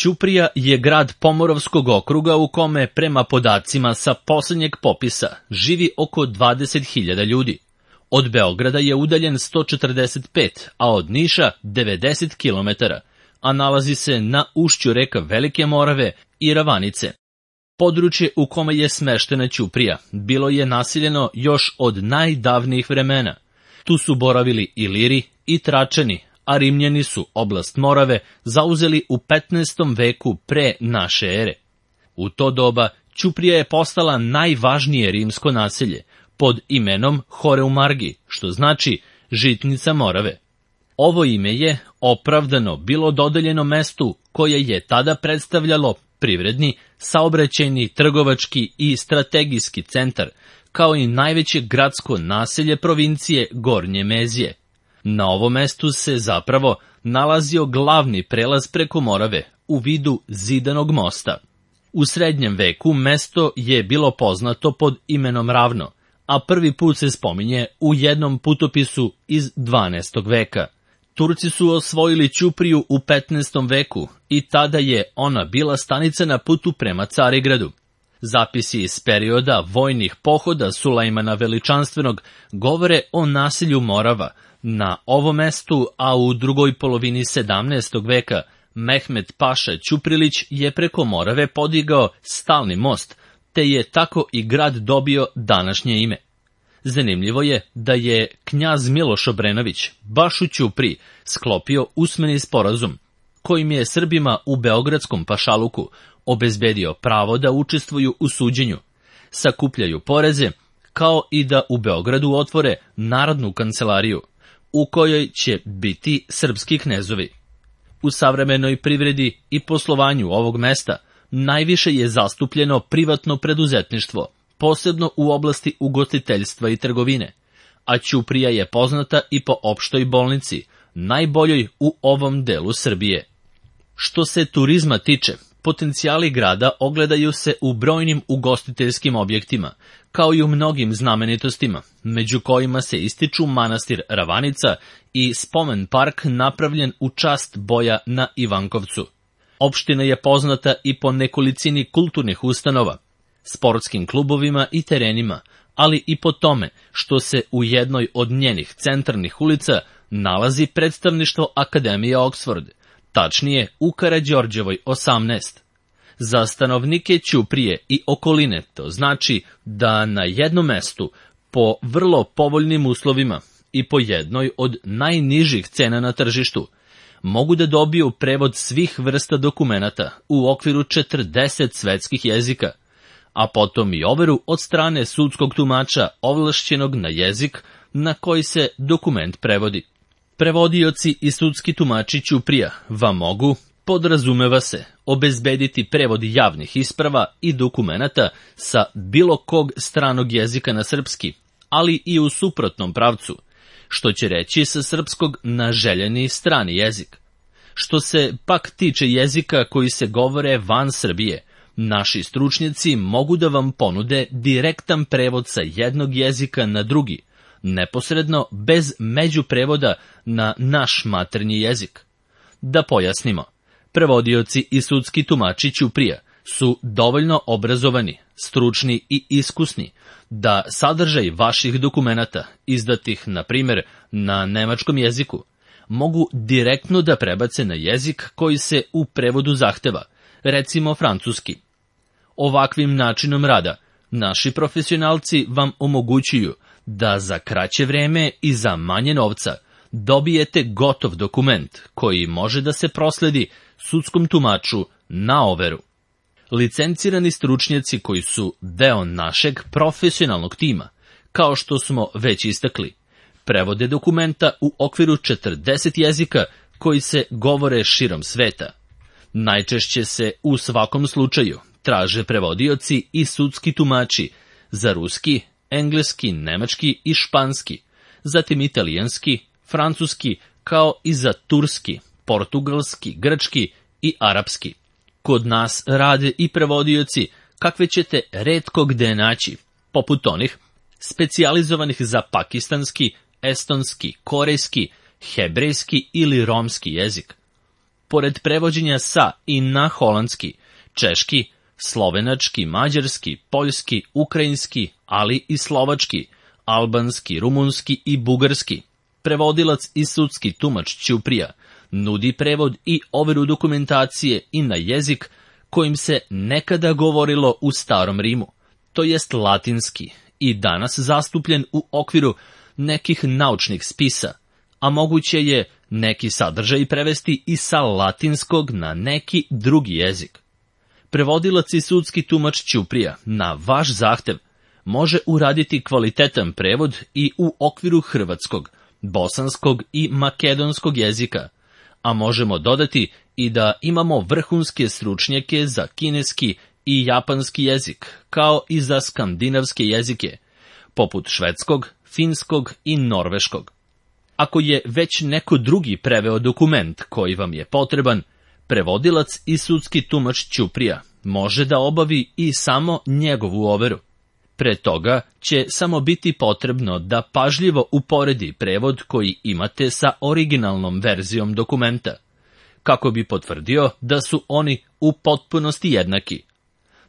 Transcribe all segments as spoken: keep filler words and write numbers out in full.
Ćuprija je grad Pomoravskog okruga u kome, prema podacima sa posljednjeg popisa, živi oko dvadeset hiljada ljudi. Od Beograda je udaljen sto četrdeset pet, a od Niša devedeset kilometara, a nalazi se na ušću reka Velike Morave i Ravanice. Područje u kome je smeštena Ćuprija bilo je naseljeno još od najdavnijih vremena. Tu su boravili Iliri i Tračani, a Rimljani su oblast Morave zauzeli u petnaestom veku pre naše ere. U to doba Ćuprija je postala najvažnije rimsko naselje, pod imenom Horeumargi, što znači žitnica Morave. Ovo ime je opravdano bilo dodeljeno mestu koje je tada predstavljalo privredni, saobraćajni, trgovački i strategijski centar, kao i najveće gradsko naselje provincije Gornje Mezije. Na ovom mestu se zapravo nalazio glavni prelaz preko Morave u vidu zidanog mosta. U srednjem veku mesto je bilo poznato pod imenom Ravno, a prvi put se spominje u jednom putopisu iz dvanaestog veka. Turci su osvojili Ćupriju u petnaestom veku i tada je ona bila stanica na putu prema Carigradu. Zapisi iz perioda vojnih pohoda Sulejmana Veličanstvenog govore o naselju Morava na ovom mestu, a u drugoj polovini sedamnaestog veka Mehmed Paša Ćuprilić je preko Morave podigao stalni most, te je tako i grad dobio današnje ime. Zanimljivo je da je knjaz Miloš Obrenović baš u Ćupriji sklopio usmeni sporazum, kojim je Srbima u beogradskom pašaluku obezbedio pravo da učestvuju u suđenju, sakupljaju poreze, kao i da u Beogradu otvore narodnu kancelariju, u kojoj će biti srpski knezovi. U savremenoj privredi i poslovanju ovog mesta najviše je zastupljeno privatno preduzetništvo, posebno u oblasti ugostiteljstva i trgovine, a Ćuprija je poznata i po opštoj bolnici, najboljoj u ovom delu Srbije. Što se turizma tiče, potencijali grada ogledaju se u brojnim ugostiteljskim objektima, kao i u mnogim znamenitostima, među kojima se ističu manastir Ravanica i spomen park napravljen u čast boja na Ivankovcu. Opština je poznata i po nekolicini kulturnih ustanova, sportskim klubovima i terenima, ali i po tome što se u jednoj od njenih centralnih ulica nalazi predstavništvo Akademije Oxford, tačnije u Karađorđevoj osamnaest. Za stanovnike Ćuprije i okoline to znači da na jednom mestu, po vrlo povoljnim uslovima i po jednoj od najnižih cena na tržištu, mogu da dobiju prevod svih vrsta dokumenata u okviru četrdeset svetskih jezika, a potom i overu od strane sudskog tumača ovlašćenog na jezik na koji se dokument prevodi. Prevodioci i sudski tumači Ćuprija vam mogu, podrazumeva se, obezbediti prevod javnih isprava i dokumenata sa bilo kog stranog jezika na srpski, ali i u suprotnom pravcu, što će reći sa srpskog na željeni strani jezik. Što se pak tiče jezika koji se govore van Srbije, naši stručnjaci mogu da vam ponude direktan prevod sa jednog jezika na drugi, neposredno bez međuprevoda na naš maternji jezik. Da pojasnimo, prevodioci i sudski tumači Ćuprija su dovoljno obrazovani, stručni i iskusni da sadržaj vaših dokumenata, izdatih, na primjer, na nemačkom jeziku, mogu direktno da prebace na jezik koji se u prevodu zahteva, recimo francuski. Ovakvim načinom rada naši profesionalci vam omogućuju da za kraće vreme i za manje novca dobijete gotov dokument koji može da se prosledi sudskom tumaču na overu. Licencirani stručnjaci koji su deo našeg profesionalnog tima, kao što smo već istakli, prevode dokumenta u okviru četrdeset jezika koji se govore širom sveta. Najčešće se u svakom slučaju traže prevodioci i sudski tumači za ruski, engleski, nemački i španski, zatim italijanski, francuski, kao i za turski, portugalski, grčki i arapski. Kod nas rade i prevodioci kakve ćete retko gde naći, poput onih specijalizovanih za pakistanski, estonski, korejski, hebrejski ili romski jezik. pored prevođenja sa i na holandski, češki, slovenački, mađarski, poljski, ukrajinski, ali i slovački, albanski, rumunski i bugarski, prevodilac i sudski tumač Ćuprija nudi prevod i overu dokumentacije i na jezik kojim se nekada govorilo u Starom Rimu, to jest latinski, i danas zastupljen u okviru nekih naučnih spisa, a moguće je neki sadržaj prevesti i sa latinskog na neki drugi jezik. Prevodilac i sudski tumač Ćuprija na vaš zahtev može uraditi kvalitetan prevod i u okviru hrvatskog, bosanskog i makedonskog jezika, a možemo dodati i da imamo vrhunske stručnjake za kineski i japanski jezik, kao i za skandinavske jezike, poput švedskog, finskog i norveškog. Ako je već neko drugi preveo dokument koji vam je potreban, prevodilac i sudski tumač Ćuprija može da obavi i samo njegovu overu. Pre toga će samo biti potrebno da pažljivo uporedi prevod koji imate sa originalnom verzijom dokumenta, kako bi potvrdio da su oni u potpunosti jednaki.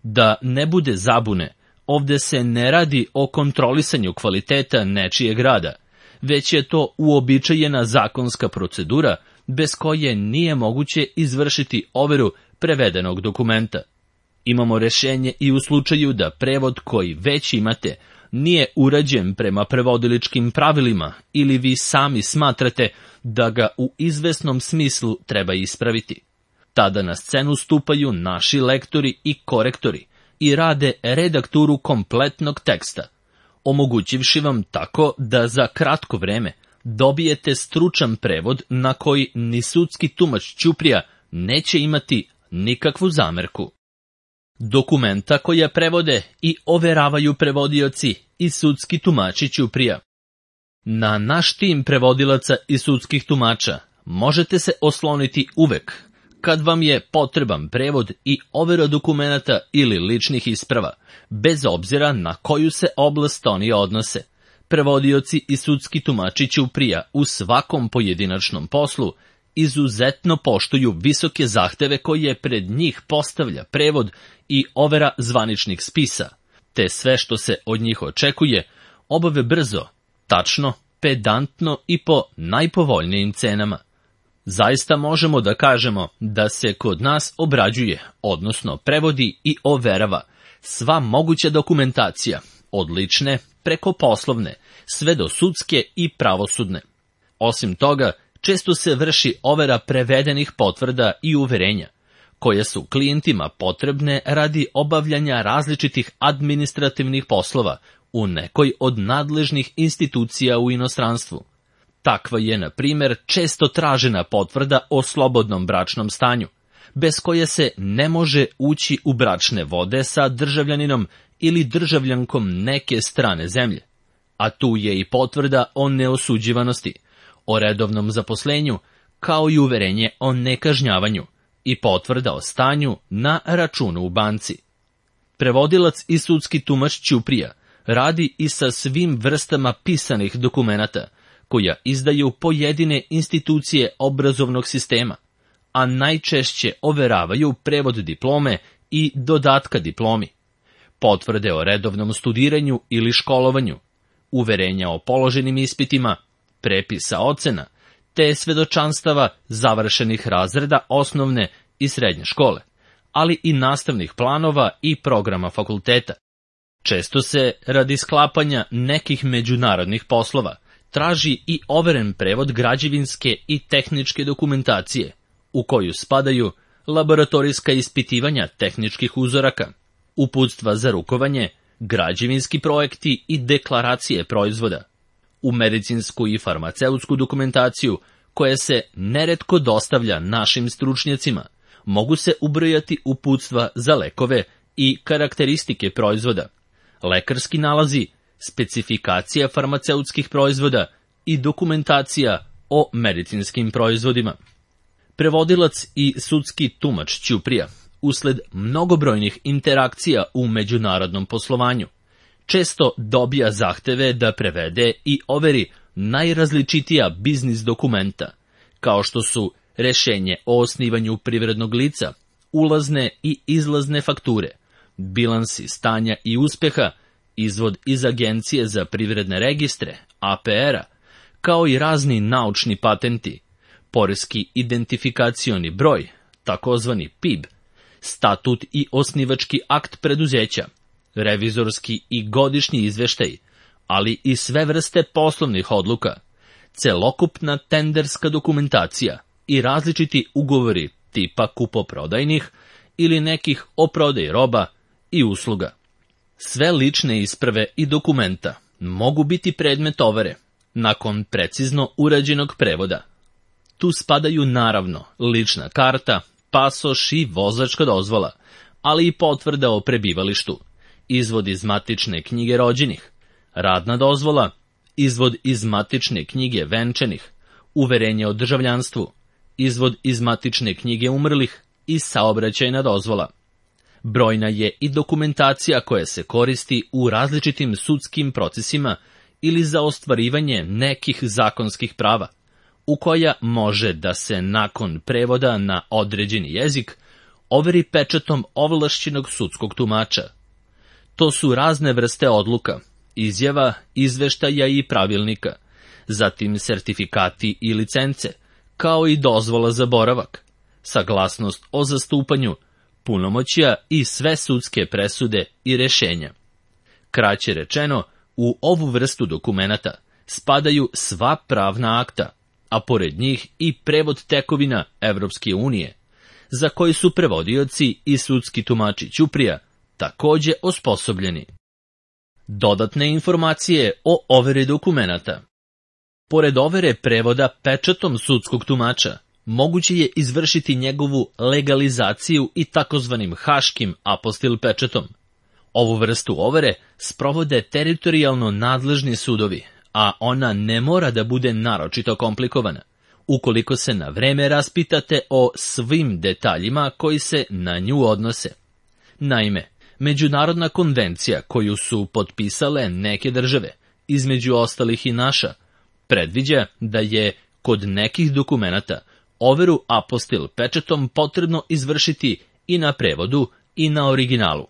Da ne bude zabune, ovde se ne radi o kontrolisanju kvaliteta nečijeg rada, već je to uobičajena zakonska procedura bez koje nije moguće izvršiti overu prevedenog dokumenta. Imamo rešenje i u slučaju da prevod koji već imate nije urađen prema prevodiličkim pravilima ili vi sami smatrate da ga u izvesnom smislu treba ispraviti. Tada na scenu stupaju naši lektori i korektori i rade redakturu kompletnog teksta, omogućivši vam tako da za kratko vreme dobijete stručan prevod na koji ni sudski tumač Ćuprija neće imati nikakvu zamerku. Dokumenta koja prevode i overavaju prevodioci i sudski tumači Ćuprija. Na naš tim prevodilaca i sudskih tumača možete se osloniti uvek kad vam je potreban prevod i overa dokumenata ili ličnih isprava, bez obzira na koju se oblast oni odnose. Prevodioci i sudski tumači Ćuprija u svakom pojedinačnom poslu izuzetno poštuju visoke zahteve koje pred njih postavlja prevod i overa zvaničnih spisa, te sve što se od njih očekuje obave brzo, tačno, pedantno i po najpovoljnijim cenama. Zaista možemo da kažemo da se kod nas obrađuje, odnosno prevodi i overava sva moguća dokumentacija, od lične preko poslovne, sve do sudske i pravosudne. Osim toga, često se vrši overa prevedenih potvrda i uverenja, koje su klijentima potrebne radi obavljanja različitih administrativnih poslova u nekoj od nadležnih institucija u inostranstvu. Takva je, na primjer, često tražena potvrda o slobodnom bračnom stanju, bez koje se ne može ući u bračne vode sa državljaninom ili državljankom neke strane zemlje. A tu je i potvrda o neosuđivanosti, o redovnom zaposlenju, kao i uverenje o nekažnjavanju i potvrda o stanju na računu u banci. Prevodilac i sudski tumač Ćuprija radi i sa svim vrstama pisanih dokumenata, koja izdaju pojedine institucije obrazovnog sistema, a najčešće overavaju prevod diplome i dodatka diplomi, potvrde o redovnom studiranju ili školovanju, uverenja o položenim ispitima, prepisa ocena, te svedočanstava završenih razreda osnovne i srednje škole, ali i nastavnih planova i programa fakulteta. Često se, radi sklapanja nekih međunarodnih poslova, traži i overen prevod građevinske i tehničke dokumentacije, u koju spadaju laboratorijska ispitivanja tehničkih uzoraka, uputstva za rukovanje, građevinski projekti i deklaracije proizvoda. U medicinsku i farmaceutsku dokumentaciju, koja se neretko dostavlja našim stručnjacima, mogu se ubrojati uputstva za lekove i karakteristike proizvoda, lekarski nalazi, specifikacija farmaceutskih proizvoda i dokumentacija o medicinskim proizvodima. Prevodilac i sudski tumač Ćuprija, usled mnogobrojnih interakcija u međunarodnom poslovanju, često dobija zahteve da prevede i overi najrazličitija biznis dokumenta, kao što su rešenje o osnivanju privrednog lica, ulazne i izlazne fakture, bilansi stanja i uspeha, izvod iz Agencije za privredne registre, A P R-a, kao i razni naučni patenti, poreski identifikacioni broj, takozvani P I B, statut i osnivački akt preduzeća, revizorski i godišnji izveštaj, ali i sve vrste poslovnih odluka, celokupna tenderska dokumentacija i različiti ugovori tipa kupoprodajnih ili nekih o prodaji roba i usluga. Sve lične isprave i dokumenta mogu biti predmet overe nakon precizno urađenog prevoda. Tu spadaju naravno lična karta, pasoš i vozačka dozvola, ali i potvrda o prebivalištu, izvod iz matične knjige rođenih, radna dozvola, izvod iz matične knjige venčanih, uverenje o državljanstvu, izvod iz matične knjige umrlih i saobraćajna dozvola. Brojna je i dokumentacija koja se koristi u različitim sudskim procesima ili za ostvarivanje nekih zakonskih prava, u koja može da se nakon prevoda na određeni jezik overi pečatom ovlašćenog sudskog tumača. To su razne vrste odluka, izjava, izveštaja i pravilnika, zatim sertifikati i licence, kao i dozvola za boravak, saglasnost o zastupanju, punomoćja i sve sudske presude i rešenja. Kraće rečeno, u ovu vrstu dokumenata spadaju sva pravna akta, a pored njih i prevod tekovina Evropske unije, za koji su prevodioci i sudski tumači ćuprija takođe osposobljeni. Dodatne informacije o overi dokumenata. Pored overe prevoda pečatom sudskog tumača, moguće je izvršiti njegovu legalizaciju i takozvanim haškim apostil pečatom. Ovu vrstu overe sprovode teritorijalno nadležni sudovi, a ona ne mora da bude naročito komplikovana, ukoliko se na vreme raspitate o svim detaljima koji se na nju odnose. Naime, međunarodna konvencija koju su potpisale neke države, između ostalih i naša, predviđa da je kod nekih dokumenata overu apostil pečatom potrebno izvršiti i na prevodu i na originalu.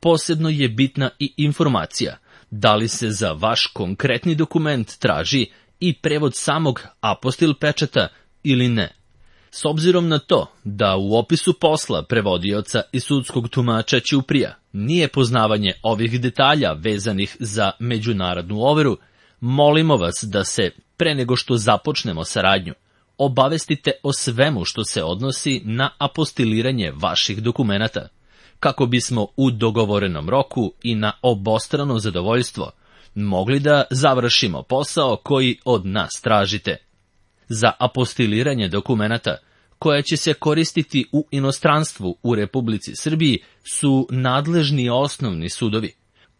Posebno je bitna i informacija da li se za vaš konkretni dokument traži i prevod samog apostil pečata ili ne. S obzirom na to da u opisu posla prevodioca i sudskog tumača ćuprija nije poznavanje ovih detalja vezanih za međunarodnu overu, molimo vas da se, pre nego što započnemo saradnju, obavestite o svemu što se odnosi na apostiliranje vaših dokumenata, kako bismo u dogovorenom roku i na obostrano zadovoljstvo mogli da završimo posao koji od nas tražite. Za apostiliranje dokumenata, koja će se koristiti u inostranstvu u Republici Srbiji, su nadležni osnovni sudovi,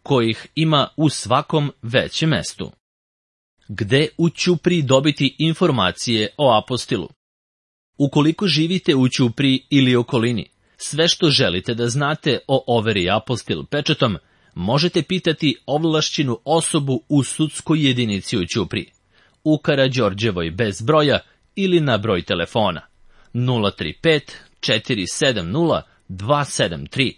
kojih ima u svakom većem mestu. Gde u Ćupriji dobiti informacije o apostilu? Ukoliko živite u Ćupriji ili okolini, sve što želite da znate o overi apostil pečatom, možete pitati ovlašćenu osobu u sudskoj jedinici u Ćupriji, u Karađorđevoj bez broja ili na broj telefona nula tri pet četiri sedam nula dva sedam tri.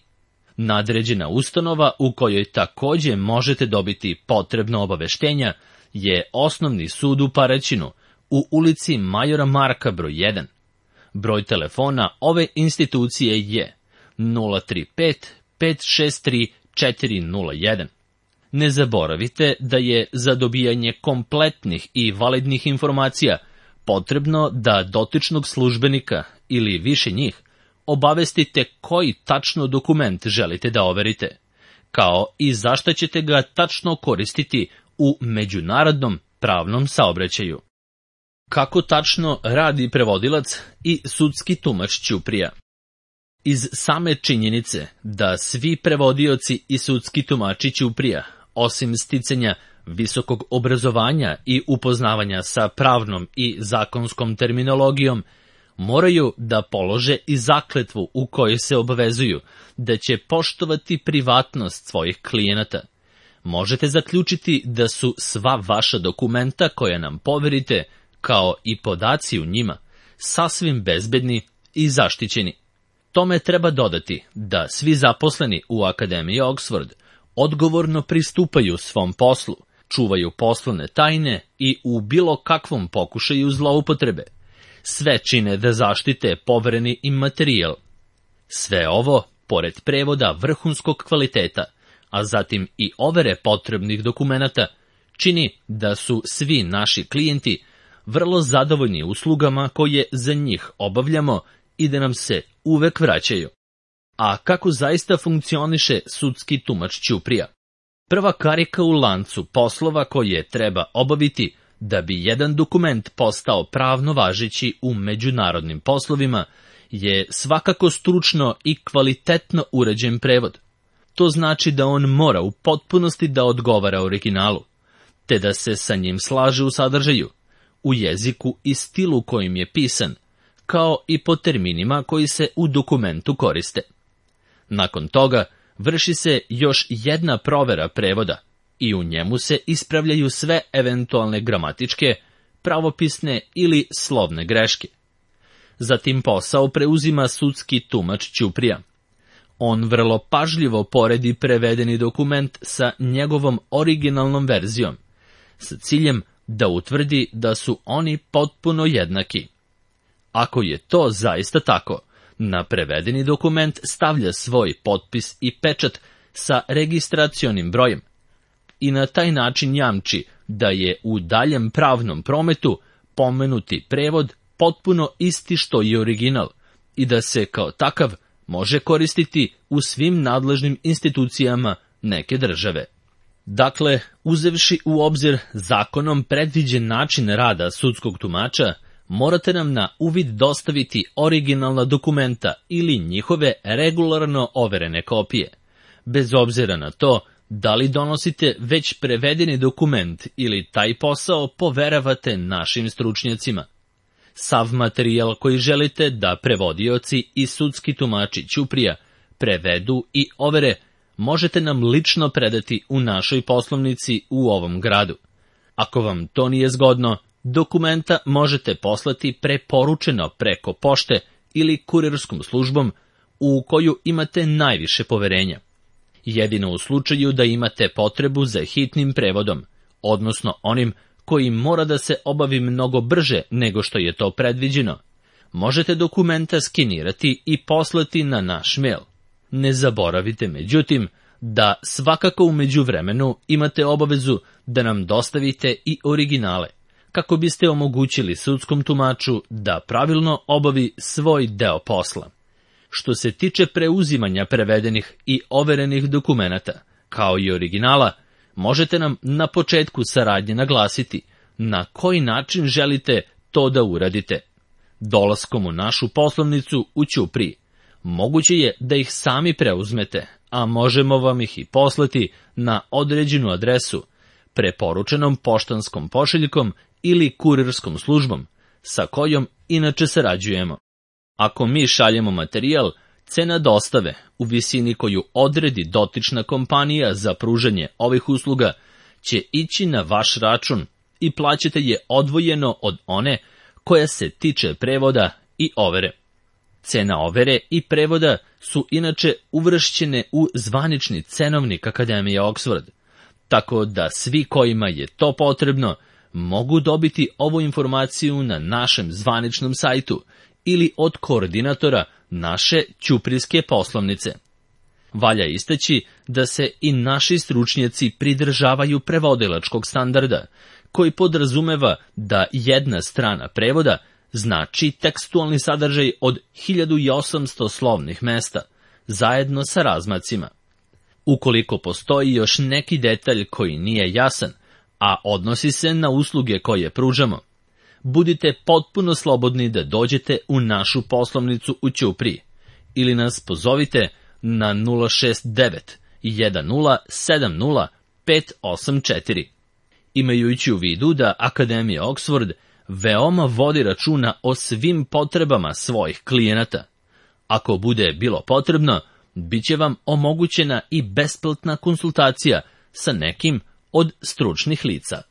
Nadređena ustanova u kojoj takođe možete dobiti potrebno obaveštenja je Osnovni sud u Paraćinu, u ulici Majora Marka broj jedan. Broj telefona ove institucije je nula tri pet pet šest tri četiri nula jedan. Ne zaboravite da je za dobijanje kompletnih i validnih informacija potrebno da dotičnog službenika ili više njih obavestite koji tačno dokument želite da overite, kao i zašto ćete ga tačno koristiti u međunarodnom pravnom saobraćaju. Kako tačno radi prevodilac i sudski tumač ćuprija? Iz same činjenice da svi prevodioci i sudski tumači ćuprija, osim sticanja visokog obrazovanja i upoznavanja sa pravnom i zakonskom terminologijom, moraju da polože i zakletvu u kojoj se obavezuju da će poštovati privatnost svojih klijenata. Možete zaključiti da su sva vaša dokumenta koja nam poverite, kao i podaci u njima, sasvim bezbedni i zaštićeni. Tome treba dodati da svi zaposleni u Akademiji Oxford odgovorno pristupaju svom poslu, čuvaju poslovne tajne i u bilo kakvom pokušaju zloupotrebe. Sve čine da zaštite povereni im materijal. Sve ovo, pored prevoda vrhunskog kvaliteta, a zatim i overe potrebnih dokumenata, čini da su svi naši klijenti vrlo zadovoljni uslugama koje za njih obavljamo i da nam se uvek vraćaju. A kako zaista funkcioniše sudski tumač ćuprija? Prva karika u lancu poslova koje treba obaviti da bi jedan dokument postao pravno važeći u međunarodnim poslovima je svakako stručno i kvalitetno urađen prevod. To znači da on mora u potpunosti da odgovara originalu, te da se sa njim slaže u sadržaju, u jeziku i stilu kojim je pisan, kao i po terminima koji se u dokumentu koriste. Nakon toga vrši se još jedna provera prevoda i u njemu se ispravljaju sve eventualne gramatičke, pravopisne ili slovne greške. Zatim posao preuzima sudski tumač ćuprija. On vrlo pažljivo poredi prevedeni dokument sa njegovom originalnom verzijom, sa ciljem da utvrdi da su oni potpuno jednaki. Ako je to zaista tako, na prevedeni dokument stavlja svoj potpis i pečat sa registracionim brojem i na taj način jamči da je u daljem pravnom prometu pomenuti prevod potpuno isti što i original i da se kao takav može koristiti u svim nadležnim institucijama neke države. Dakle, uzevši u obzir zakonom predviđen način rada sudskog tumača, morate nam na uvid dostaviti originalna dokumenta ili njihove regularno overene kopije, bez obzira na to da li donosite već prevedeni dokument ili taj posao poveravate našim stručnjacima. Sav materijal koji želite da prevodioci i sudski tumači ćuprija prevedu i overe možete nam lično predati u našoj poslovnici u ovom gradu. Ako vam to nije zgodno, dokumenta možete poslati preporučeno preko pošte ili kurirskom službom u koju imate najviše poverenja. Jedino u slučaju da imate potrebu za hitnim prevodom, odnosno onim koji mora da se obavi mnogo brže nego što je to predviđeno, možete dokumenta skenirati i poslati na naš mail. Ne zaboravite, međutim, da svakako u međuvremenu imate obavezu da nam dostavite i originale, kako biste omogućili sudskom tumaču da pravilno obavi svoj deo posla. Što se tiče preuzimanja prevedenih i overenih dokumenata, kao i originala, možete nam na početku saradnje naglasiti na koji način želite to da uradite. Dolaskom u našu poslovnicu u Ćupriji, moguće je da ih sami preuzmete, a možemo vam ih i poslati na određenu adresu, preporučenom poštanskom pošiljkom ili kurirskom službom, sa kojom inače sarađujemo. Ako mi šaljemo materijal, cena dostave u visini koju odredi dotična kompanija za pružanje ovih usluga će ići na vaš račun i plaćate je odvojeno od one koja se tiče prevoda i overe. Cena overe i prevoda su inače uvršćene u zvanični cenovnik Akademije Oxford, tako da svi kojima je to potrebno mogu dobiti ovu informaciju na našem zvaničnom sajtu ili od koordinatora naše ćuprijske poslovnice. Valja istaći da se i naši stručnjaci pridržavaju prevodilačkog standarda, koji podrazumeva da jedna strana prevoda znači tekstualni sadržaj od hiljadu osamsto slovnih mesta, zajedno sa razmacima. Ukoliko postoji još neki detalj koji nije jasan, a odnosi se na usluge koje pružamo, budite potpuno slobodni da dođete u našu poslovnicu u Ćupriji ili nas pozovite na nula šest devet jedan nula sedam nula pet osam četiri. Imajući u vidu da Akademija Oxford veoma vodi računa o svim potrebama svojih klijenata. Ako bude bilo potrebno, bit će vam omogućena i besplatna konsultacija sa nekim od stručnih lica.